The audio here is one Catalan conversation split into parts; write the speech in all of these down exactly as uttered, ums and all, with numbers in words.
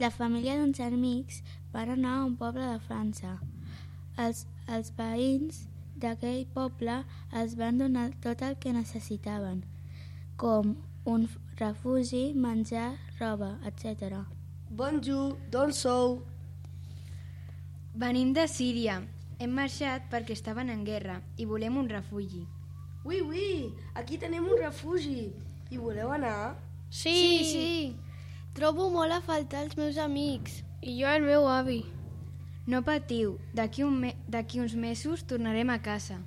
La família d'uns amics van anar a un poble de França. Els, els veïns d'aquell poble els van donar tot el que necessitaven, com un refugi, menjar, roba, etcètera. Bonjour, d'on sou? Venim de Síria. Hem marxat perquè estaven en guerra i volem un refugi. Ui, ui, aquí tenim un refugi. Hi voleu anar? Sí, sí, sí. Trobo molt a faltar els meus amics i jo el meu avi. No patiu, d'aquí un me- d'aquí uns mesos tornarem a casa.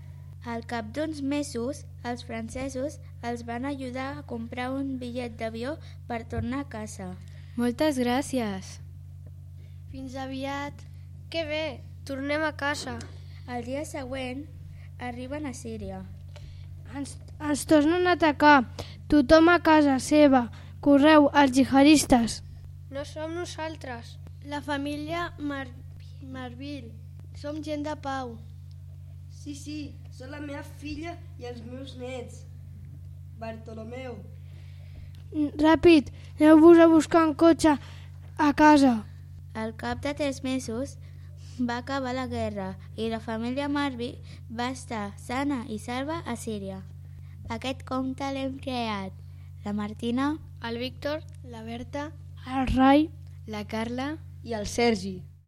Al cap d'uns mesos, els francesos els van ajudar a comprar un bitllet d'avió per tornar a casa. Moltes gràcies. Fins aviat. Que bé, tornem a casa. El dia següent arriben a Síria. Ens, ens tornen a atacar. Tothom a casa seva. Correu, els jihadistes. No som nosaltres. La família Mar Marvil. Som gent de pau. Sí, sí, són la meva filla i els meus nets. Bartolomeu. Ràpid, aneu-vos a buscar un cotxe a casa. Al cap de tres mesos va acabar la guerra i la família Marvil va estar sana i salva a Síria. Aquest conte l'hem creat la Martina, El Víctor, la Berta, El Rai, La Carla I el Sergi.